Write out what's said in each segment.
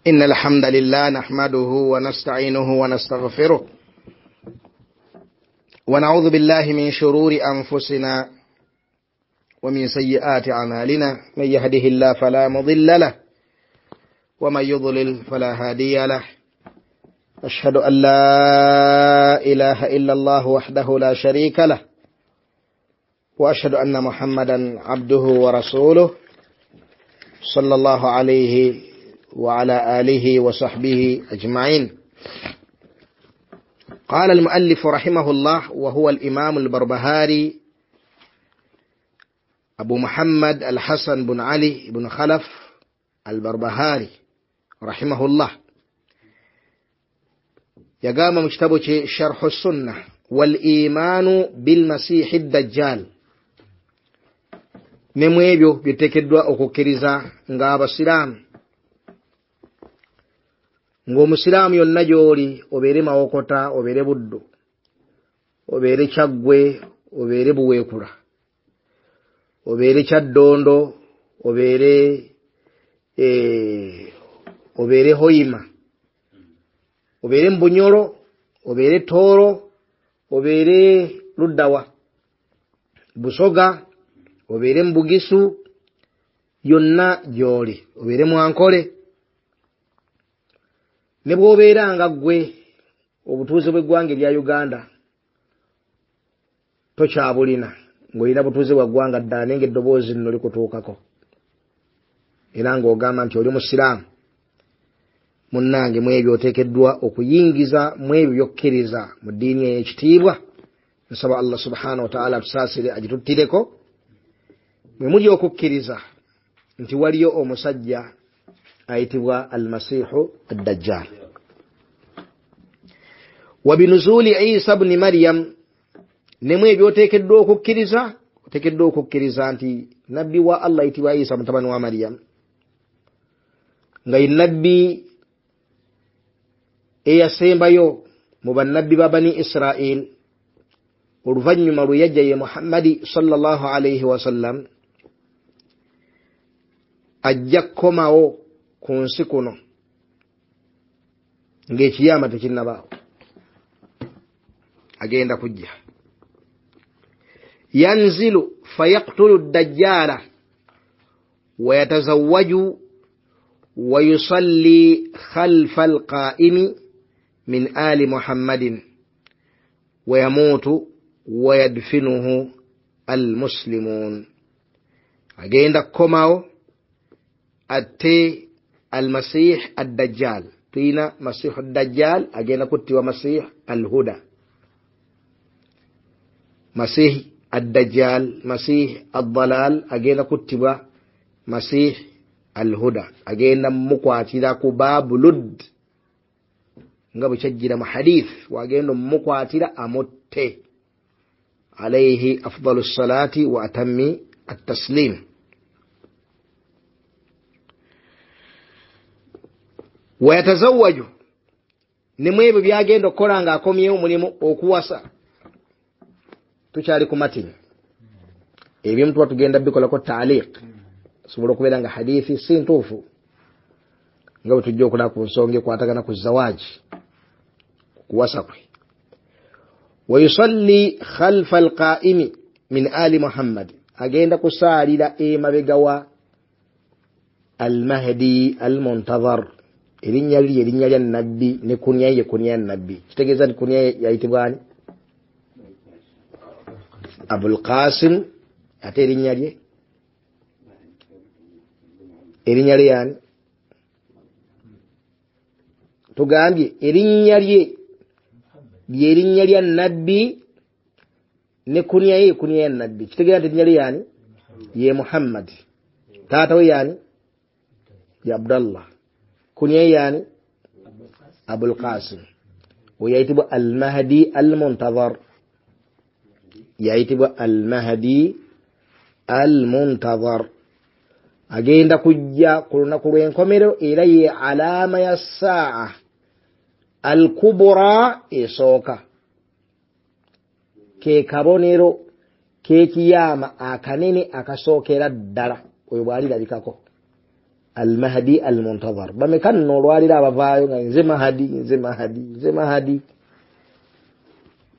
إن الحمد لله نحمده ونستعينه ونستغفره ونعوذ بالله من شرور أنفسنا ومن سيئات أعمالنا، من يهده الله فلا مضل له ومن يضلل فلا هادي له. أشهد أن لا إله إلا الله وحده لا شريك له، وأشهد أن محمدا عبده ورسوله صلى الله عليه وعلى آله وصحبه أجمعين. قال المؤلف رحمه الله، وهو الإمام البربهاري أبو محمد الحسن بن علي بن خلف البربهاري رحمه الله، يقام مكتبه شرح السنة والإيمان بالمسيح الدجال. Ne mu ebyo biteekeddwa okukkiriza ng'abasiraamu, ng'omusiraamu yonna gy'oli, obeere Mawokota, obeere Buddu, obeere Kyaggwe, obeere Buweekula, obeere Kyaddondo, obeere Hoima, obeere Mbunyolo, obeere Tooro, obeere Luddawa, Busoga, obeere Mbugisu, yonna gy'oli, obeere Mwankole, ne bw'obeera nga ggwe obutuuze bw'eggwanga erya Uganda tokyabulina, ng'olina butuuze bwa ggwanga ddala, naye ng'eddoboozi lino likutuukako era ng'ogamba nti oli musiraamu, munnange, mu ebyo oteekeddwa okuyingiza mu ebyo by'okkiriza mu ddiini ey'ekitiibwa. Nsaba Allah subhanahu wa ta'ala atusaasire agituttireko. Mwe muli okukkiriza nti waliyo omusajja ayitibwa Almasihu Addajjal. Wa binuzuli Isa bni Maryam, ne mu ebyo oteekeddwa okukkiriza, oteekeddwa okukkiriza nti nabbi wa Allah ayitibwa Isa mutabani wa Maryam, nga ye nabbi eyasembayo mu bannabbi ba Bani Israel, oluvannyuma lwe yajja ye Muhammadi sallallahu alaihi wasallam, ajja kukomawo ku nsi kuno ng'ekiyama tekinnabaawo, agenda kujja. Yanzilu fayaktulu ddajjaala wa yatazawwaju wa yusalli khalfa alqaa'imi min ali Muhammadin wa yamuutu wa yadfinuhu almuslimuun. Agenda kukomawo atte Almasih Addajjal. Tulina Masihu Addajjal, agenda kuttibwa Masih Alhuda, Masih Addajjal, Masih Addalal agenda kuttibwa Masih Alhuda, agenda mukwatira ku Baabu Lud nga bwe kyajjira mu hadith, wagenda mukwatira amutte, alayhi afdalu salati wa atammi at-taslim. Wayatazawwaju, ne mu ebyo byagenda okukola ng'akomyewo mulimu okuwasa. Tukyali ku matini, ebimu tuba tugenda bikolako taaliq, sobola okubeera nga hadithi si ntuufu, nga bwe tujja okulaba ku nsonga ekwatagana ku zawaaji, kuwasa kwe. Wayusalli khalfa alqaa'imi min ali Muhammad, agenda kusaalira emabega wa Almahdi Almuntadhar. Erinnya lye erinnya lya nabbi, ne kunya ye kunya ya nabbi. Kitegeeza nti kunya ye yayitibwa ani? Abul Qasim. Ate erinnya lye, erinnya lye yani? Tugambye erinnya lye lyerinnya lya nabbi, ne kunya ye kunya ya nabbi. Kitegeeza nti erinnya lye yani? Ye Muhammad. Taata we yani? Ya Abdallah. Kunya yani? Abul Qasim. Oyayitibwa Almahdi Almuntadhar, yayitibwa Almahdi Almuntadhar. Agenda kujja ku lunaku lw'enkomerero, era ye alama ya saa Alkubura esooka, ke kabonero k'ekiyama akanene akasookera ddala, oyo bw'alirabikako. Almahdi Almuntazar. Bameka nno olwaliro abavaayo nga nze Mahadi, nze Mahadi, nze Mahadi,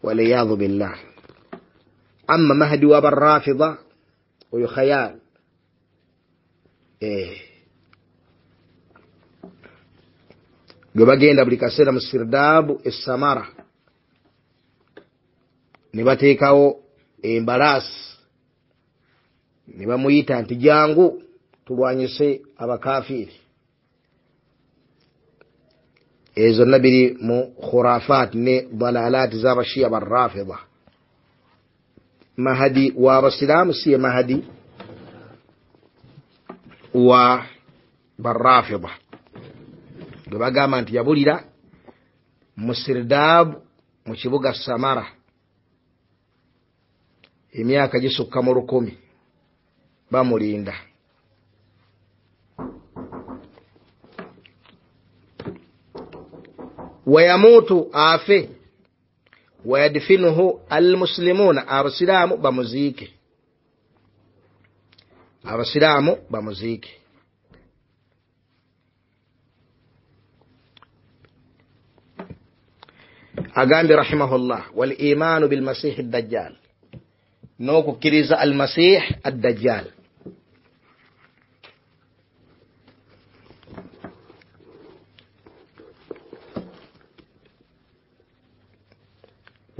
waliyadhu billah. Amma Mahdi w'Abarafida oyo khayal. Gwe bagenda buli kaseera mu sirdaabu esamara ne bateekawo embalaasi ne bamuyita nti jangu tulwanyise abakafiiri. Ezo zonna biri mu khurafat ne dalalaati z'Abashiya Barrafida. Mahadi w'Abasiraamu si ye Mahadi wa Barrafida gwe bagamba nti yabulira mu sirdaabu mu kibuga Samara emyaka gisukka mu 1000 bamulinda. Wayamutu afe, wayadfinuhu almuslimuna, abasiraamu bamuziike, abasiraamu bamuziike. Agambye rahimahullah, wal imaanu bilmasihi ddajjal, n'okukkiriza almasih addajjal.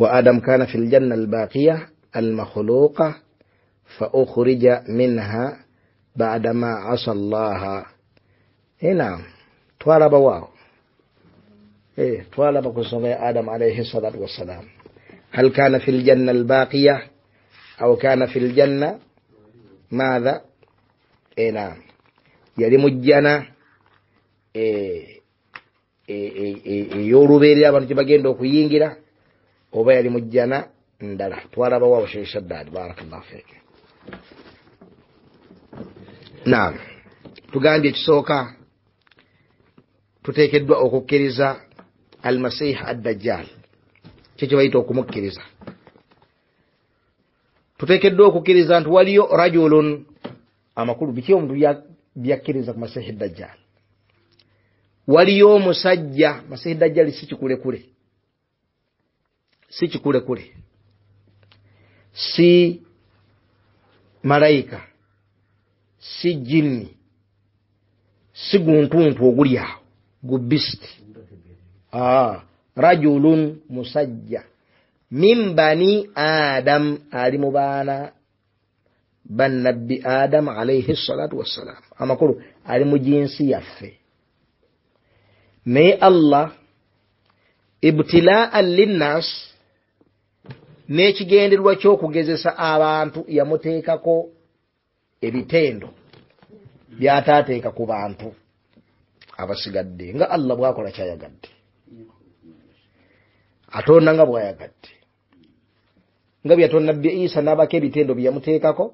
وآدم كان في الجنة الباقية المخلوقة فأخرج منها بعدما عصى الله. نعم، twalaba waawo, twalaba ku nsonga ya Adam alayhi salatu wassalam. Hal kana fi ljanna albaqiya aw kana fi ljanna madha? Naam, yali mu jjana ey'olubeerera abantu gye bagenda okuyingira, oba yali mu jjana ndala. Twalaba waawo Sheikh Shaddad, barakallahu fik. Naam, tugambye ekisooka tuteekeddwa okukkiriza Almasih Addajjal, kyo kye bayita okumukkiriza. Tuteekeddwa okukkiriza nti waliyo rajulun, amakulu biki omuntu byakkiriza ku Masihi Dajjal. Waliyo omusajja, Masihi Dajjal si kikulekule, si kikulekule, si malayika, si jinni, si guntuntu oguli awo gu beast. Rajulun, musajja, min bani Adam, ali mu baana bannabbi Adam alayhi salatu wassalam. Amakulu ali mu jinsi yaffe. Naye Allah ibtilaan linnas, n'ekigendererwa ky'okugezesa abantu, yamuteekako ebitendo by'ataateeka ku bantu abasigadde, nga Allah bw'akola kyayagadde, atonda nga bw'ayagadde, nga bwe yatonda Nabbi Isa n'abako ebitendo bye yamuteekako,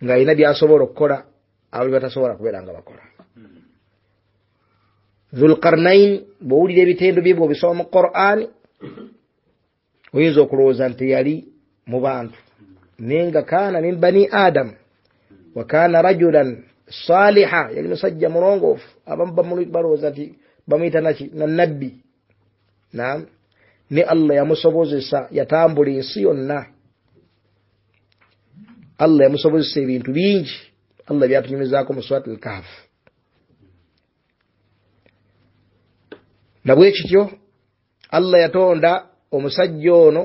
ng'alina by'asobola okukola abo bye batasobola kubeera nga bakola. Dhulqarnain, bw'owulira ebitendo bye bw'obisoma mu Qur'ani, oyinza okulowooza nti yali mu bantu, naye nga kaana min bani Adam wa kaana rajulan saliha, yali musajja mulongoofu. Abamu balowooza nti bamuyita naki, na nabbi. Naam, ne Allah yamusobozesa, yatambula ensi yonna. Allah yamusobozesa ebintu bingi, Allah byatunyumizaako mu Surat al-Kahf. Na bwe kityo Allah yatonda omusajja ono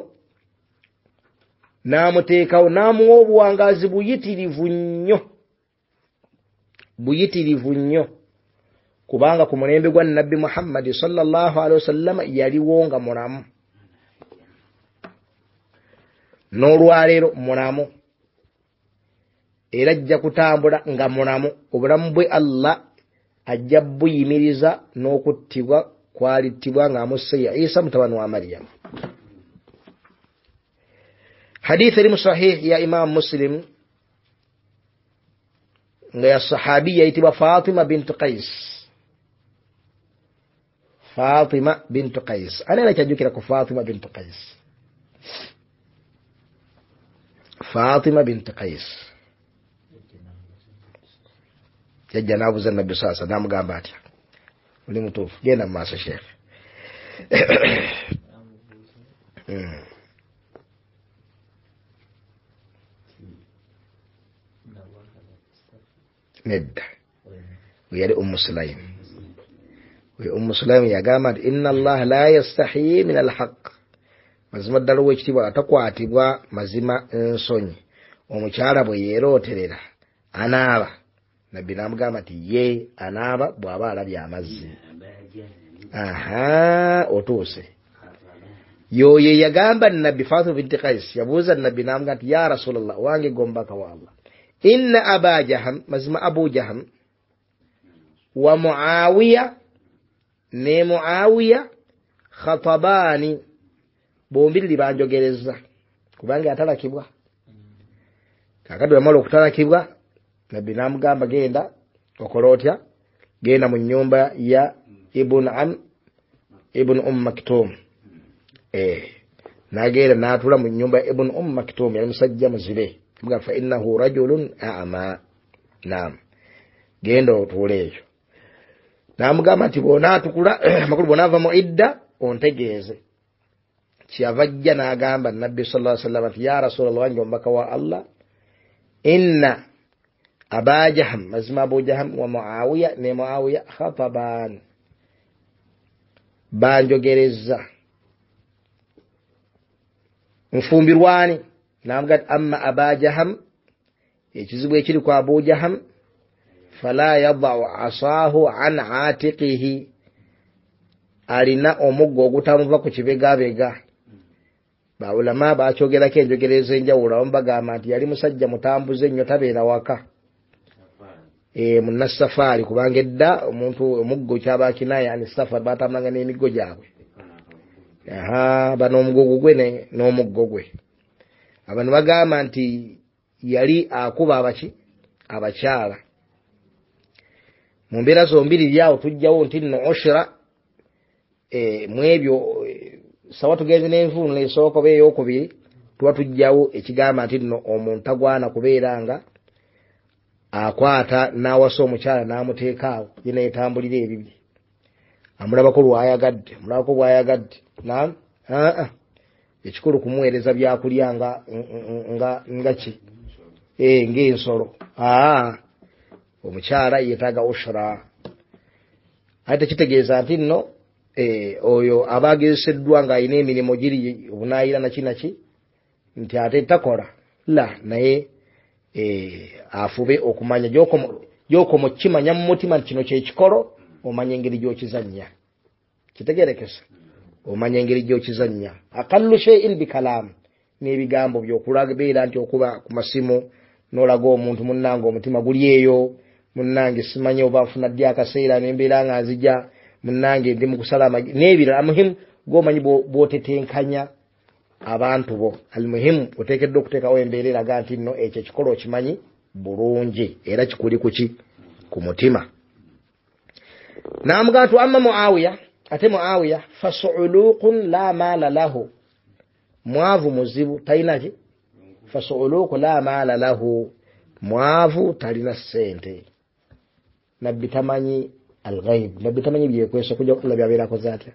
n'amuteekawo, n'amuwa obuwangaazi buyitirivu nnyo, buyitirivu nnyo, kubanga ku mulembe gwa Nabbi Muhammad sallallahu alaihi wasallam yaliwo nga mulamu, n'olwaleero mulamu, era ajja kutambula nga mulamu. Obulamu bwe Allah ajja buyimiriza n'okuttibwa kwalittibwa ng'amusse ya Isa mutabani wa Mariyamu. Hadith eri mu sahih ya Imam Muslim nga ya sahabi yayitibwa Fatima bintu Qais. Fatima bintu Qais, ani anakyajjukira ku Fatima bintu Qais? Fatima bintu Qais Yajja n'abuuza Nabbi saasa, n'amugamba atya? Oli mutuufu, genda mu maaso sheekhe. Nedda, yali Ummu Sulaim. Oyo Ummu Sulaim yagamba nti inna Allaha la yastahi min alhaq, mazima ddala ow'ekitiibwa atakwatibwa mazima ensonyi. Omukyala bwe yeerooterera anaaba. Nabbi n'amugamba nti ye anaaba bw'aba alabye amazzi. Aha, otuuse. Yoyo yagamba Nabbi Fatima binti Qais yabuuza Nabbi n'amugamba nti ya Rasulallah, wange gombaka wa Allah, inna Aba Jaham, mazima Abu Jaham wa Muawiya ne Muawiya khatabaani, bombiriri banjogereza, kubanga yatalakibwa. Kaakati bwe yamala okutalakibwa, Nabbi n'amugamba genda okola otya, genda mu nnyumba ya Ibn Maktum. N'agenda n'atuula mu nnyumba ya Ibn Maktum, yali musajja muzibe. Amugamba fa innahu rajulun a'ma. Naam, genda otuule eyo. N'amugamba nti bw'onaatukula, amakulu bw'onaava mu idda ontegeeze. Kyeyava ajja n'agamba Nabbi sallallahu alaihi wasallam nti ya Rasulallah, wange omubaka wa Allah, inna Aba Jaham, mazima Abu Jaham wa Muawiya ne Muawiya khataban, banjogereza, nfumbirwani. N'amugamba nti amma Aba Jaham, ekizibu ekiri ku Abu Jaham, fala yadau asaahu an atiqihi, alina omuggo ogutamuva ku kibegabega. Baulama bakyogerako enjogera ez'enjawulo, abamu bagamba nti yali musajja mutambuze nnyo, tabeera waka, munnasafaari, kubanga edda omuntu omuggo kyaba kinaya ani safari, batambulanga n'emiggo gyabwe. Aha, bano omugugu gwe n'omuggo gwe. Abantu bagamba nti yali akuba abaki abakyala. Mu mbeera zombiriri awo tujjawo nti nno ushra, mu ebyo sawa tugenze n'envunula esooka oba ey'okubiri, tuba tujjawo ekigamba nti nno omuntu tagwana kubeera nga akwata n'awasa omukyala n'amuteeka awo ye neetambulira ebibye, amulabako lw'ayagadde, amulabako bw'ayagadde. Naam, ekikulu kumuweereza byakulya nga ki ng'ensolo. Omukyala yeetaaga ushra. Ate tekitegeeza nti nno oyo aba agezeseddwa ng'alina emirimu giri obunaayira naki naki nti ate takola la, naye afube okumanya gy'okoma okukimanya mu mutima nti kino kyekikolo, omanya engeri gy'okizannya. Kitegerekesa, omanya engeri gy'okizannya. Aqallu shay'in bikalaam, n'ebigambo by'okulabeera nti okuba ku masimu n'olaga omuntu munnange omutima guli eyo, munnange simanyi oba nfuna ddi akaseera nembeera nga nzija, munnange ndi mu kusala amagi n'ebirala. Muhimu gw'omanyi bw'otetenkanya abantu bo. Almuhimu oteekeddwa okuteekawo embeera eraga nti nno ekyo ekikolo okimanyi bulungi era kikuli kuki ku mutima. N'amugamba nti amma Muawiya, ate Muawiya fasuuluqun la maala lahu, mwavu muzibu talina ki, fasuuluqu la maala lahu, mwavu talina ssente. Nabbi tamanyi alghaib, Nabbi tamanyi byekwesa kujja Allah byabeera akoze atya.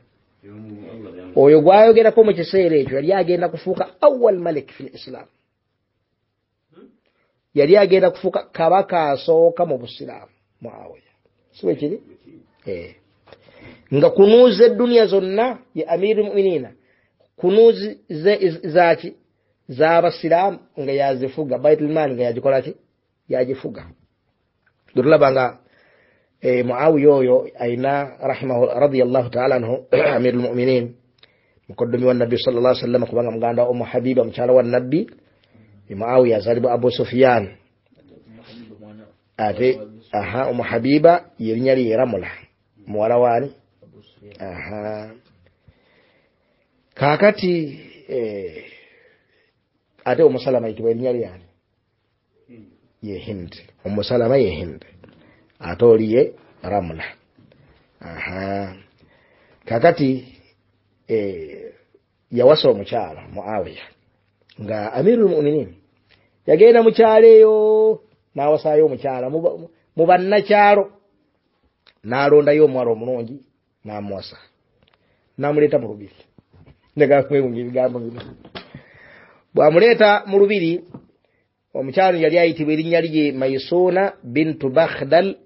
Oyo gwayogerako mu kiseera ekyo yali agenda kufuuka awwal malik fil Islam, yali agenda kufuuka kabaka asooka mu Busiraamu Muawiya, si bwe kiri? Nga kunuuza eduniya zonna ye Amiirul Mu'miniina, kunuuzi zaaki z'abasiraamu nga yazifuga, Baitul Maal nga yagikola ki, yagifuga. Tulaba nga Muawiya oyo ayina rahimahu radiyallahu ta'ala anhu Amirul Mu'minin, mukoddomi wa Nabbi sallallahu alaihi wasallam, kubanga muganda wa Ummu Habiba mukyala wa Nabbi. Muawiya azaalibwa Abu Sufyan, ate Ummu Habiba yerinnya lye Ramula, muwala waani. Kaakati ate Ummu Salama yitibwa erinnya lyani, ye Hind. Ummu Salama ye Hind, ate oli ye Ramula. Kaakati yawasa omukyala Muawiya nga Amirul Mu'minin, yagenda mukyalo eyo n'awasaayo omukyala Mu bannakyalo n'alondayo omuwala omulungi n'amuwasa, n'amuleeta mu lubiri. Njagala kwewuunya ebigambo bino. Bw'amuleeta mu lubiri, omukyalo yali ayitibwa erinnya lye Maisuuna bintu Bakhdal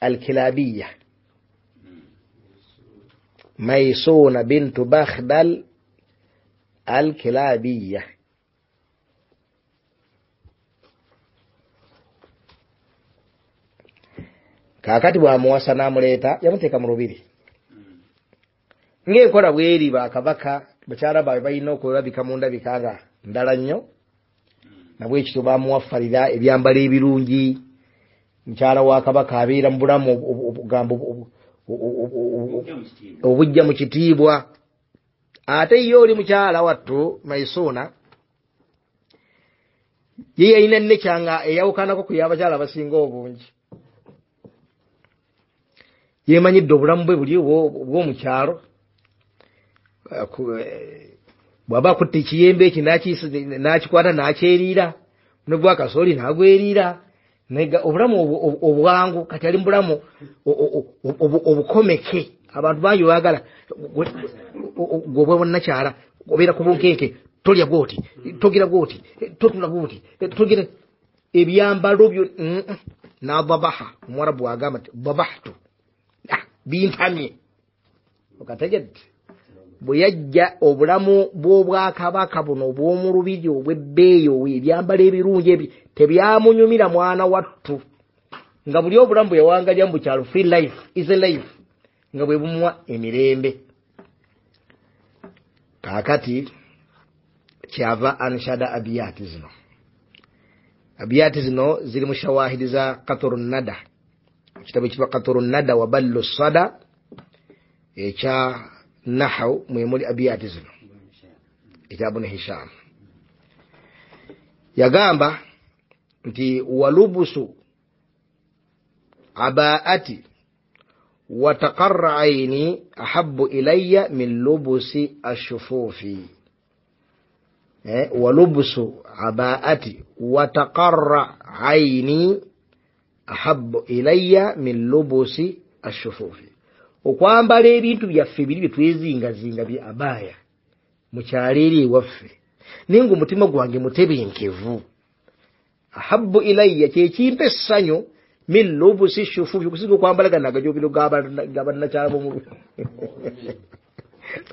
Alkilabiya. Maisuuna bintu Bakhdal Alkilabiya. Kaakati bw'amuwasa n'amuleeta, yamuteeka mu lubiri. Ng'enkola bw'eri, bakabaka bakyala baabwe balina okulabika mu ndabika nga ndala nnyo, nabwekityo bamuwafalira ebyambalo ebirungi. Mukyala wa kabaka abeera mu bulamu obujja mu kitiibwa. Ate ye oli mukyala wattu Maisuuna ye yalina nekyanga eyawukanako ku y'abakyala abasinga obungi. Yemanyidde obulamu bwe buli obw'omukyalo. Bw'aba akutte ekiyembe eki n'akikwata n'akyeriira, ne gwa kasooli n'agweriira, obulamu obwangu. Kati ali mu bulamu obukomeke. Abantu bangi baagala gwe bwonnakyala obeera ku bunkenke, tolya bw'oti, togira bw'oti, totula bw'oti, togira ebyambalo byo. N'adabaha, omuwarabu agamba nti dabahtu, bintamye. Okategedde? Bwe yajja obulamu bw'obwakabaka buno obw'omu lubiri obw'ebbeeyi, ebyambalo ebirungi ebyo tebyamunyumira mwana wattu, nga buli obulamu bwe yawangalya mu kyalo, free life, easy life, nga bwe bumuwa emirembe. Kaakati kyava anshada abiyati zino. Abiyati zino ziri mu shawahidi za Qatru Nada, ekitabo ekitibwa Qatru Nada wa Ballu Sada ekya Nahaw, mwe muli abiyati zino ekya Ibn Hisham. Yagamba nti walubusu abaati wataqarra aini ahabbu ilayya min lubusi ashufufi. Walubusu abaati wataqarra aini ahabbu ilayya min lubusi ashufufi. Okwambala ebintu byaffe biri bye twezingazinga bye abaya mu kyalo eri ewaffe, naye ng'omutima gwange mutebenkevu. Ahabbu ilayya, kyekimpa essanyu, min lubusi shufufi, okusinga okwambala gano agajobiro g'abannakyalo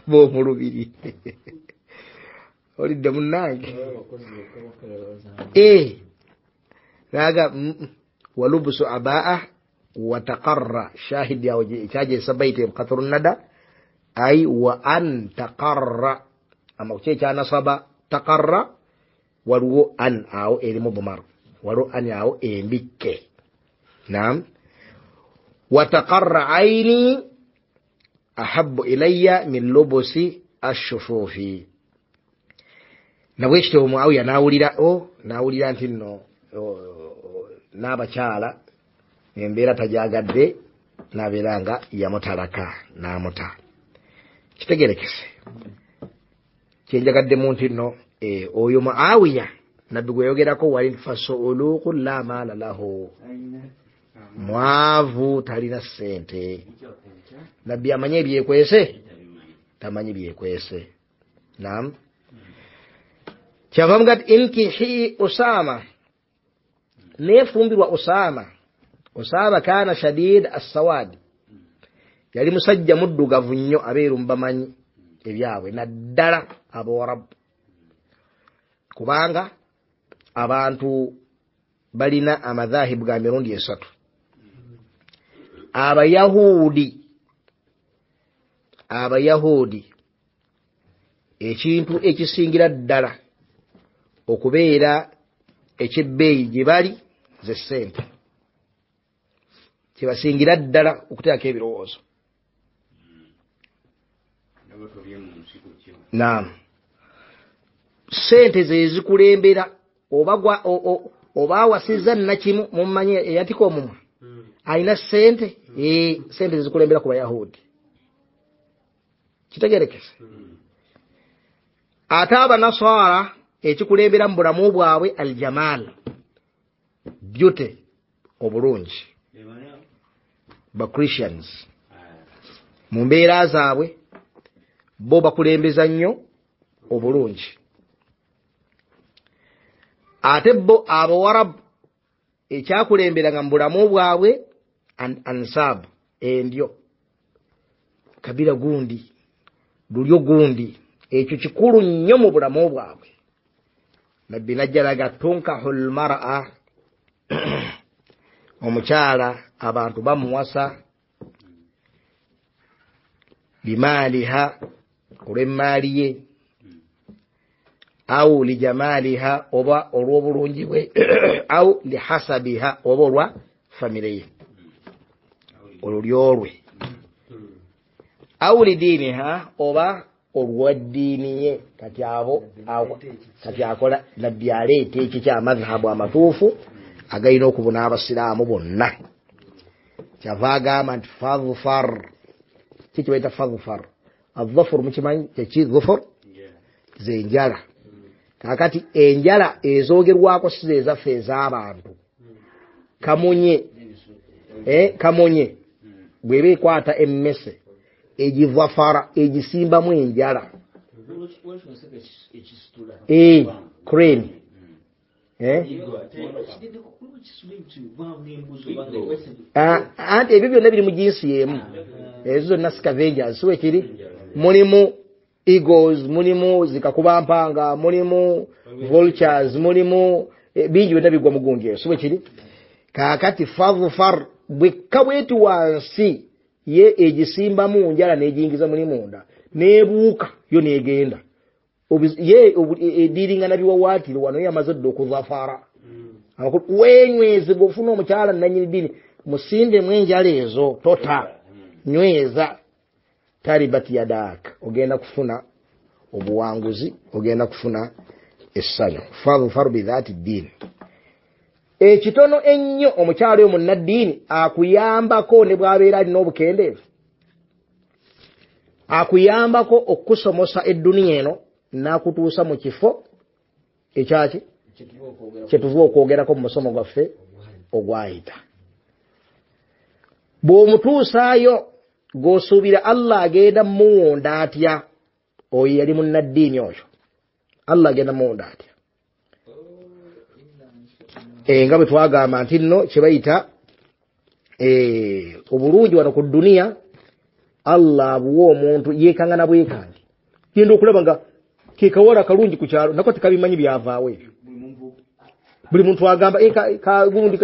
b'omu lubiri. Olidde munnange? Naga walubusu abaa wataqarra, shahidi awo ekyagesa baiti Qatru Nada, ai wa an taqarra, ama ku ekyanasaba taqarra waliwo an awo eri mudmar, waliwo an awo embikke. Naam, wataqarra aini ahabbu ilayya min lubusi ashufufi. Nabwekityo Muawiya n'awulira n'awulira nti nno n'abakyala embeera tajagadde, n'abeera nga yamutalaka n'amuta. Kitegerekese kyenjagaddemu nti nno oyo Muawiya nabbi gwe yayogerako wali fasuuluku la maala lahu, mwavu talina ssente. Nabbi amanyi ebyekwese, tamanyi byekwese. Naam, kyava mugati inkihi Usama, neefumbirwa Usama. Usama kana shadid assawadi, yali musajja muddugavu nnyo, abeeru mubamanyi ebyabwe naddala abawarabu, kubanga abantu balina amadhahibu ga mirundi esatu. Abayahudi ekintu ekisingira ddala okubeera ekyebbeeyi gye bali ze ssente, kyebasingira ddala okuteekako ebirowoozo. Naam, ssente ze zikulembera. Oba awasizza nnakimu, mummanyi eyatika omumwa alina ssente, ssente zezikulembera ku bayahudi. Kitegerekese? Ate abanaswara ekikulembera mu bulamu bwabwe aljamaal, Beauty, obulungi. Ba Christians mu mbeera zaabwe bo bakulembeza nnyo obulungi. Ate bo Abawarabu ekyakulemberanga mu bulamu bwabwe ansab, endyo, kabira gundi, lulyo gundi, ekyo kikulu nnyo mu bulamu bwabwe. Nabbi najjalaga tunkahul mar'a, omukyala abantu bamuwasa bimaaliha, olw'emmaali ye, au lijamaliha, oba olw'obulungi bwe, au lihasabiha, oba olwa famire ye, olulyo lwe, au lidiiniha, oba olwa ddiini ye. Kati abo kati akola Nabbi aleeta ekyo kyamadhahabu amatuufu agalina okubuna abasiraamu bonna. Kyava agamba nti fadhfar. Kiki bayita fadhfar? Adhafur mukimanyi kyeki? Dhufur zenjala. Kakati enjala ezogerwako si ze zaffe ez'abantu. Kamunye, kamunye bw'eba ekwata emmese egivafara, egisimbamu enjala, crane, anti ebyo byonna biri mu jinsi y'emu. Ezo zonna scavengers, si wekiri? Mulimu eagles, mulimu zikakubampanga, mulimu vultures, mulimu bingi byonna bigwa mu gundi eyo, si wekiri? Kaakati fadhfar bwekka bweti wansi ye egisimbamu njala n'egiyingiza muli munda n'ebuuka yo n'egenda ye ediringa na biwawaatiro. Wano yamaze dda okuzafara. Wenywezebwa ofuna omukyala nannyini ddiini, musimbemu enjala ezo, tota nyweza, taribat yadak, ogenda kufuna obuwanguzi, ogenda kufuna essanyu. Fadhfar bidhati ddiini. Ekitono ennyo omukyala oyo munnaddiini akuyambako ne bw'abeera alina obukendeevu, akuyambako okusomosa edduniya eno n'akutuusa mu kifo ekyaki kyetuva okwogerako mu musomo gwaffe ogwayita. Bw'omutuusaayo g'osuubira Allah agenda muwonda atya? Oyo yali munnaddiini oyo, Allah agenda muwonda atya? Nga bwe twagamba nti nno kye bayita obulungi wano ku dduniya, Allah abuwa omuntu yeekangana bwekange. Genda okulaba nga ke kawala kalungi ku kyalo, nako tekabimanyi byavaawo ebyo. Buli muntu agamba kagundi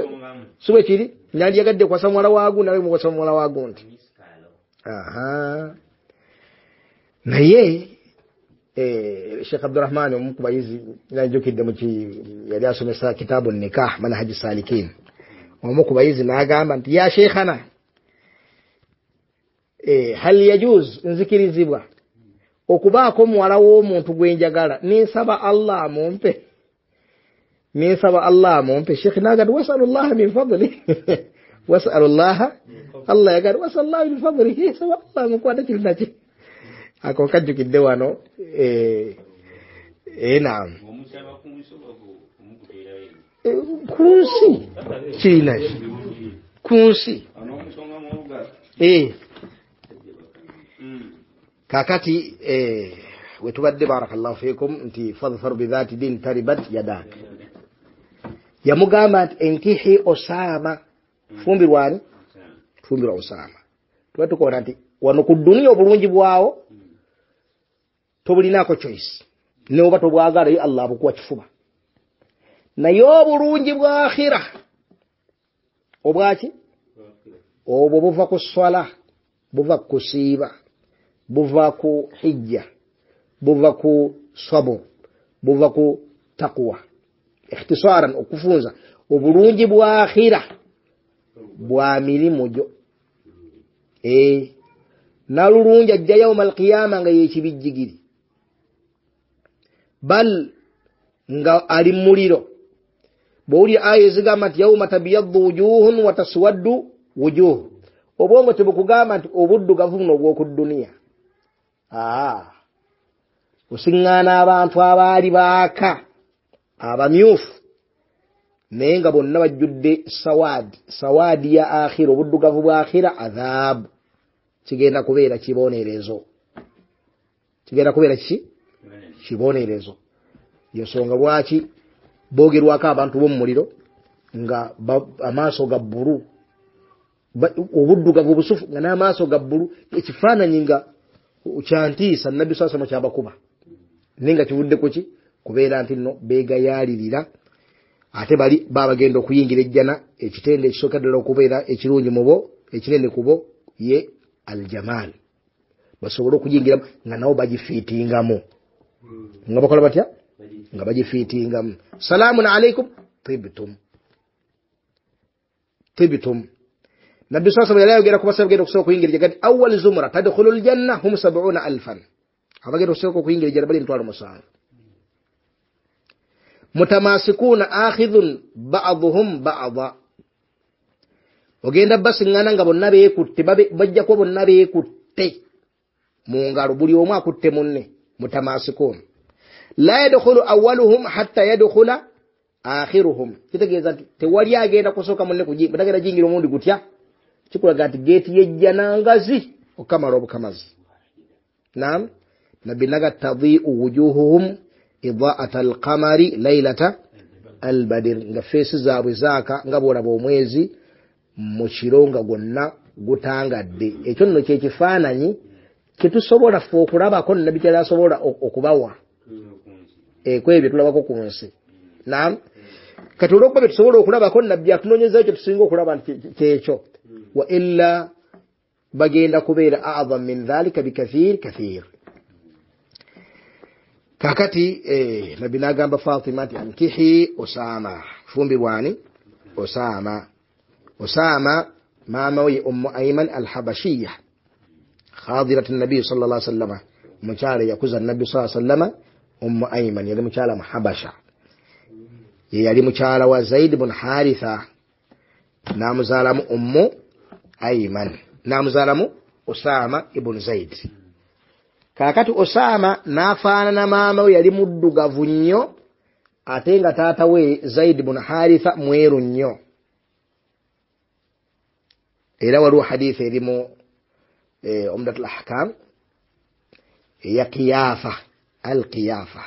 si bwe kiri, nandyagadde kwasa muwala wa gundi, nawe mukwasa muwala wa gundi. Aha. Naye Sheikh Abdurrahman omu ku bayizi najjukidde yali asomesa kitaabu nikah manhaji salikin, omu ku bayizi n'agamba nti ya sheikhana, hal yajuz, nzikirizibwa okubaako muwala w'omuntu gwe njagala nensaba Allah amumpe, nensaba Allah amumpe. Sheikh n'agamba wasalullaha min fadli, wasalullaha, Allah yagamba wasalullaha min fadlihi, saba Allah amukwate kiri naki. Ako kajjukidde wano. Naam, ku nsi kirina ku nsi. Kakati wetubadde barakallahu fikum nti fadhfar bidhati din taribat yadak. Yamugamba nti enkihi Osama, fumbirwani, fumbirwa Osama. Tuba tukoona nti wano ku dduniya obulungi bwawo tobulinaako choice, ne oba tobwagala yo Allah abukuwa kifuba. Naye obulungi bwa akhira obwaki obwo buva ku swala, buva ku kusiiba, buva ku hijja, buva ku sabur, buva ku taqwa. Ikhtisaran, okufunza obulungi bwa akhira bwa mirimu gyo. Nalulungi ajja yauma alqiyama nga yekibijjigiri, bal nga ali muliro. Bw'owulira aya ezigamba nti yauma tabyaddu wujuhun wa taswaddu wujuh, obwongo tebukugamba nti obuddugavu buno obw'oku dduniya. Osiŋŋaana abantu abaali baaka abamyufu Naye nga bonna bajjudde sawadi, sawadi ya akhira, obuddugavu bwa akhira adhabu. Kigenda kubeera kibonerezo. Kigenda kubeera kiki? Kibonerezo. Yensonga lwaki boogerwako abantu b'omuliro nga amaaso ga bbulu, obuddugavu obusufu nga n'amaaso ga bbulu, ekifaananyi nga kyantiisa Nabbi sallallahu alayhi wasallam kyabakuba. Naye nga kivudde ku ki? Kubeera nti nno beegayaalirira. Ate bali babagenda okuyingira ejjana, ekitende ekisooka ddala okubeera ekirungi mu bo, ekinene ku bo ye aljamal, basobole okuyingiramu nga nabo bagifiitingamu. Nga bakola batya? Nga bagifiitingamu. Salaamun alaikum tibtum, tibtum. Nabbi sallallahu alayhi wasallam yali ayogera ku basajja bagenda okusooka okuyingira ejjana, kati awwal zumra tadkhulu aljanna hum 70,000, abagenda okusooka okuyingira ejjana bali 70,000. Mutamasikuna akhidhun ba'dhuhum ba'dha, ogenda basiŋŋana nga bonna beekutte, bajja kuba bonna beekutte mu ngalo, buli omu akutte munne. Mutamasikun la yadkhulu awwaluhum hatta yadkhula akhiruhum, kitegeeza nti tewali agenda kusooka munne kutagenda jingira omundi gutya, kikulaga nti geeti yejjana ngazi okamala obukamazi. Naam, Nabbi naga tadhi'u wujuhuhum idaa'ata alqamari laylata albadir, nga feesi zaabwe zaaka nga bw'olaba omwezi mu kiro nga gwonna gutangadde. Ekyo nno kye kifaananyi kyetusobola ffe okulabako Nabbi kyali asobola okubawa kwebyo tulabako ku nsi. Naam, kati olw'okuba bye tusobola okulabako Nabbi atunoonyezayo kye tusinga okulaba nti kyekyo. Wa illa bagenda kubeera a'dham min dhalika bikathir kathir. Kakati Nabbi n'agamba Fatima nti ankihi Osama, fumbirwani Osama. Osama maama we Ummu Ayman al-Habashiyya, khadirat an-nabi sallallahu alayhi wasallam, mukyala yakuza Nabbi sallallahu alayhi wasallam. Ummu Ayman yali mukyala mu Habasha, ye yali mukyala wa Zaid ibn Haritha, n'amuzaalamu Ummu Ayman, n'amuzaalamu Osama ibn Zaid. Kaakati Osama n'afaanana maama we, yali muddugavu nnyo, ate nga taata we Zaid ibn Haritha mweru nnyo. Era waliwo hadithi erimu Umdatul Ahkam eya Qiyafa, al-Qiyafa.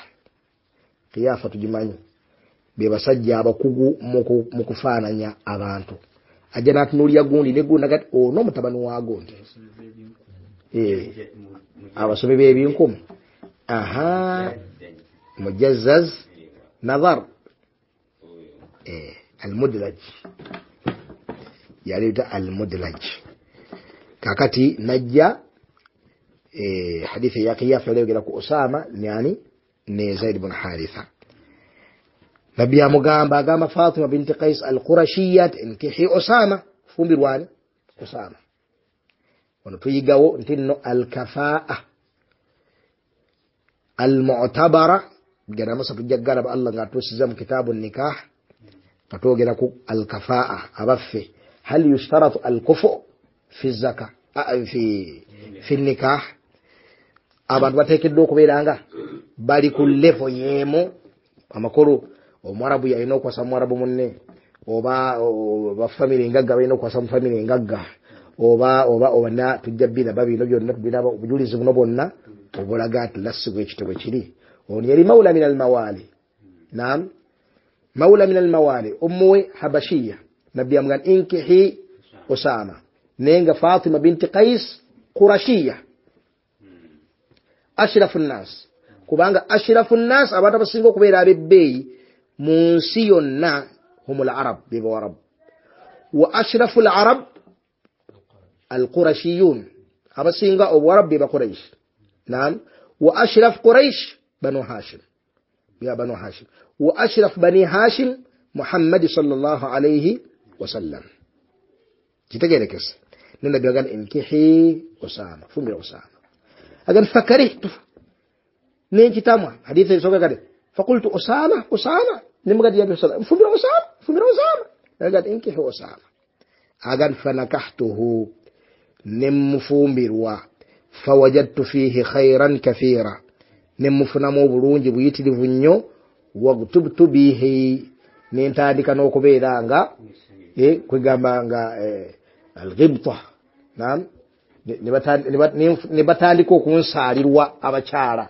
Qiyafa tugimanyi, be basajja abakugu mu kufaananya abantu. Ajja n'atunuulira gundi ne gundi nagati ono mutabani wa gundi, abasomi b'ebinkumu, aha, Mujazzaz Nadhar, al-Mudlaj, yaleta al-Mudlaj. Kakati najja hadithi ya Qiyafa yayogera ku Osama yani ne Zaid ibn Haritha. Nabbi amugamba, agamba Fatima binti Qais al-Qurashiyya inkihi Osama, fumbirwani Osama. Wano tuyigawo nti nno al-kafaa al-mu'tabara, gana masa tujja galaba Allah ng'atuusiza mu kitabu nikah, katwogera ku al-kafaa abaffe, hal yushtaratu al-kufu fi zaka fi nikah, abantu bateekeddwa okubeera nga bali ku level y'emu. Amakulu omuwarabu yalina okuwasa muwarabu munne, oba bafamire engagga balina okuwasa mu famire engagga, oba oba oba tujja biraba bino byonna, tubiraba obujulizi buno bwonna obulaga nti lassi bwekityo bwe kiri. Ono yali mawula min almawali. Naam, mawula min almawali, ummu we Habashiya. Nabbi amugamba inkihi Osama, naye nga Fatima binti Qais Qurashiya, ashrafu nnas, kubanga ashrafu nnas abantu abasinga okubeera ab'ebbeeyi mu nsi yonna humul arab, be bawarabu. Wa ashrafu al-arab al-qurashiyun, abasinga obuwarabu be Bakuraish. Naam, wa ashraf Quraish banu Hashim, ya banu Hashim. Wa ashraf bani Hashim Muhammad sallallahu alayhi wasallam. Kitegerekese. Nabbi agamba inkihi Osama, fumbira Osama. Agamba fakarihtu, nenkitamwa. Hadithi esooka kati fakultu Osama, Osama, nemugati ya Osama, fumbira Osama, fumbira Osama. Agamba inkihi Osama. Agamba fanakahtuhu, nemufumbirwa. Fawajadtu fihi khairan kathira, nemufunamu obulungi buyitirivu nnyo. Wagtubtu bihi, Nentandika n'okubeera nga kwegamba nga alghibta, naam, ne batandika okunsaalirwa abakyala.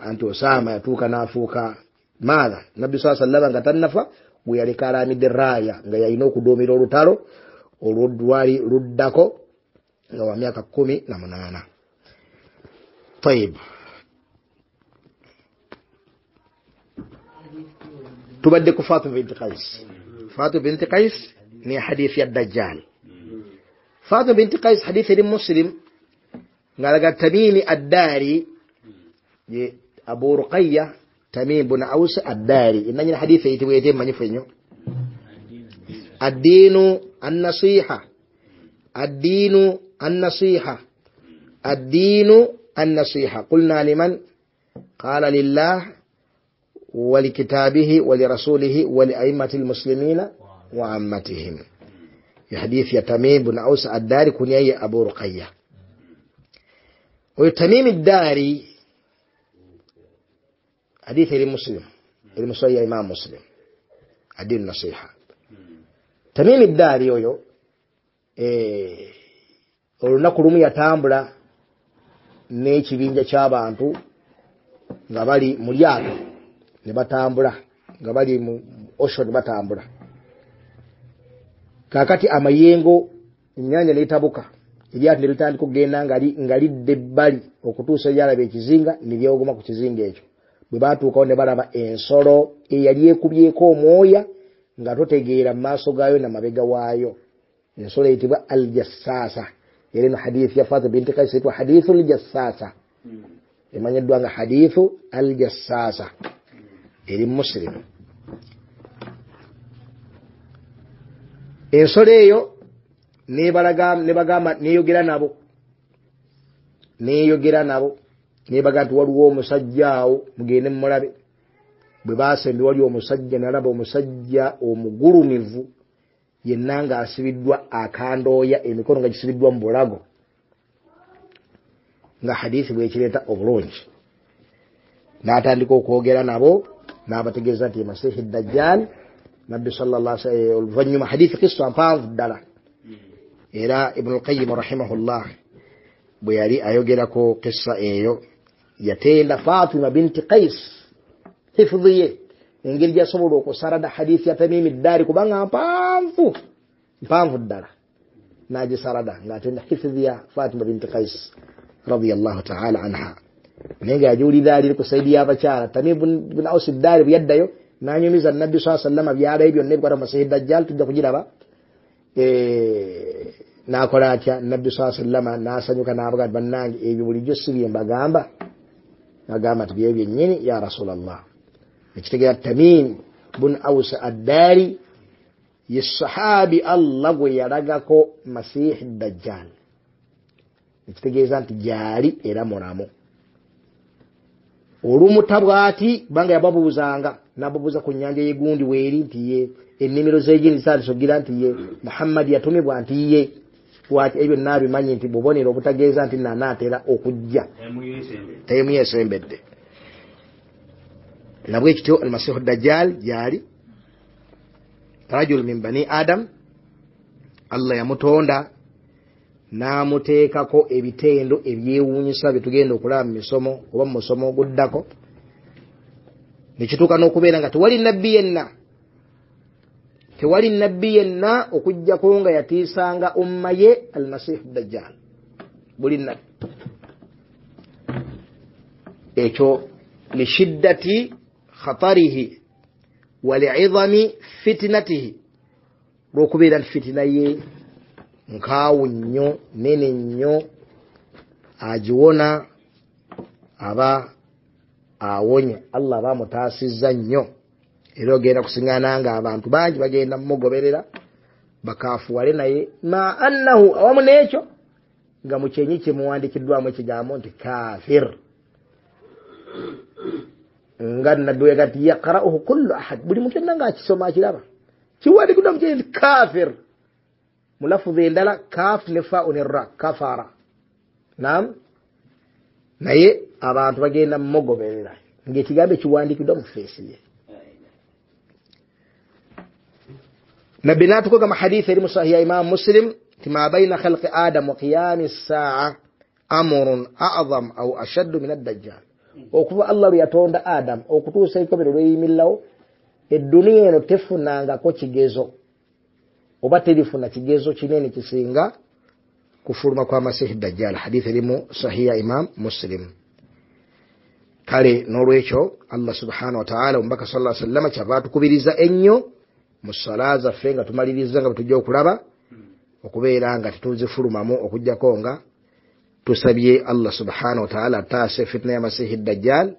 Anti Osama yatuuka n'afuuka maatha Nabbi saa sallama nga tannafa, bwe yaleka alamidde raaya nga yalina okuduumira olutalo olwo lwali luddako nga wa myaka 18. Tayib, tubadde ku Fatima binti Qais. Fatima binti Qais ni hadithi ya Dajjal. Fatima binti Qais hadithi eri Muslim ng'alaga Tamimi Addari, ye Abu Ruqayya Tamim bin Aus Addari, enanyini hadithi eyitibwa ete emanyifu ennyo, addiinu annasiha, addiinu annasiha, addiinu annasiha. Qulna liman? Qala lillah wa likitabihi wa lirasulihi wa lia'immati lmuslimina wa ammatihim. Ya hadithi ya Tamim bin Aus Addari, kunya ye Abu Ruqayya. Oyo Tamim Addari hadithi eri Muslim, eri musahih ya Imam Muslim, addiinu nasiha. Tamim Addari oyo olunaku lumu yatambula n'ekibinja ky'abantu nga bali mu lyato ne batambula nga bali mu ocean batambula. Kaakati amayengo ennyanja n'etabuka, eryato ne litandika okugenda nga lidda ebbali okutuusa lyalaba ekizinga ne lyewogoma ku kizinga ekyo. Bwe baatuukawo ne balaba ensolo eyali ekubyeko omwoya nga totegeera mu maaso gaayo na mabega waayo. Ensolo eyitibwa aljassaasa. Era eno hadithi ya Fatima binti Qais eyitibwa hadithu aljassaasa, emanyiddwa nga hadithu aljassaasa, eri Muslim. Ensolo eyo nebagamba, neyogera nabo nebaga nti waliwo omusajja awo mugende mumulabe. Bwe basembe wali omusajja, nalaba omusajja omugulumivu yenna ng'asibiddwa akandooya, emikono nga gisibiddwa mu bulago, nga hadithi bwekireeta obulungi. N'atandika okwogera nabo n'abategeeza nti Masihi Dajjal. Nabbi sallallahu alaihi wasallam oluvannyuma, hadithi kissa mpanvu ddala, era Ibn al-Qayyim rahimahullah bwe yali ayogerako kissa eyo yatenda Fatima binti Qais hifdhi ye, engeri gy'asobola okusarada hadithi ya Tamimi Ddari kubanga mpanvu mpanvu ddala, n'agisarada ng'atenda hifdhi ya Fatima binti Qais radiyallahu ta'ala anha. Naye ng'agiwulira ali ku saidi y'abakyala. Tamim bin Aus Ddari bwe yaddayo n'anyumiza Nabbi saa sallama byalayo byonna ebikwata mu Masihi Dajjal, tujja kugiraba. N'akola atya? Nabbi saa sallama n'asanyuka n'abaga nti bannange ebyo bulijjo si bye mbagamba. N'agamba nti bye byennyini ya Rasulallah. Ekitegeera Tamim bun Aus Addari ye sahabi Allah gwe yalagako Masihi Dajjal, ekitegeeza nti gyali era mulamu. Olumuta bw'ati kubanga yababuuzanga, n'ababuuza ku nnyanja y'egundi weeri nti ye, ennimiro z'egindi zitandise nti ye, Muhammadi yatumibwa nti ye. Lwaki ebyo n'abimanyi nti bubonero obutageeza nti nanaatera okujja, taimu yesembedde. Nabwe kityo Almasihu Dajjal gyali rajul min bani Adam, Allah yamutonda n'amuteekako ebitendo ebyewuunyisa bye tugenda okulaba mu misomo oba mu musomo oguddako. Nekituuka n'okubeera nga tewali nabbi yenna, tewali nabbi yenna okuggyako nga yatiisanga umma ye Almasihu Dajjal, buli nabbi. Ekyo lishiddati khatarihi wa li'idhami fitnatihi, lw'okubeera nti fitina ye nkaawu nnyo, nene nnyo, agiwona aba awonye, Allah aba amutaasizza nnyo. Era ogenda kusiŋŋaana nga abantu bangi bagenda mumugoberera bakaafuwale naye, ma annahu, awamu n'ekyo nga mu kyenyi kye muwandiikiddwamu ekigambo nti kafir, nga nabbi we yagamba nti yaqra'uhu kullu ahad, buli muntu yenna ng'akisoma akiraba kiwandiikiddwa mu kyenyi nti kafir. Mu lafuzi endala kaf ne fa ne ra, kafara. Naam, naye abantu bagenda mumugoberera ng'ekigambo ekiwandiikiddwa mu feesi ye. Nabbi n'atukoga mu hadithi eri mu sahihi ya Imam Muslim nti ma baina khalqi Adam wa qiyami ssaa amrun a'zam au ashaddu min ad-dajjal. Okuva Allah lwe yatonda Adam okutuusa ekobero lweyimillawo, edduniya eno tefunangako kigezo oba terifuna kigezo kinene kisinga kufuluma kwa Masihi Dajjal. Hadithi erimu sahihi ya Imam Muslim. Kale n'olwekyo Allah subhanahu wa ta'ala, omubaka sallallahu alaihi wasallam kyava atukubiriza ennyo mu sala zaffe nga tumaliriza nga bwe tujja okulaba okubeera nga tetuzifulumamu okuggyako nga tusabye Allah subhanahu wa ta'ala ataase fitna ya Masihi Dajjal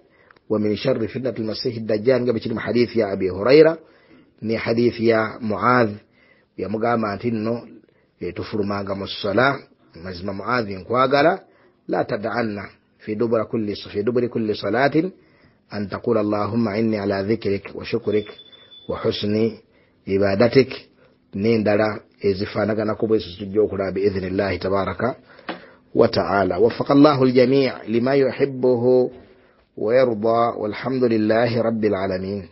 wa min sharri fitnati al-Masihi Dajjal, nga bwe kiri mu hadithi ya Abi Huraira ne hadithi ya Muadh. Yamugamba nti nno tufulumanga mu sala, mazima Muadh nkwagala, la tad'anna fi duburi kulli salatin an taqula allahumma inni ala dhikrik wa shukrik wa husni ibadatik, n'endala ezifaanaganako bwe zitujja okulaba biidhnillahi tabaraka wa ta'ala. Waffaqa Allahu al-jami' lima yuhibbuhu wa yarda, walhamdulillahi rabbil alamin.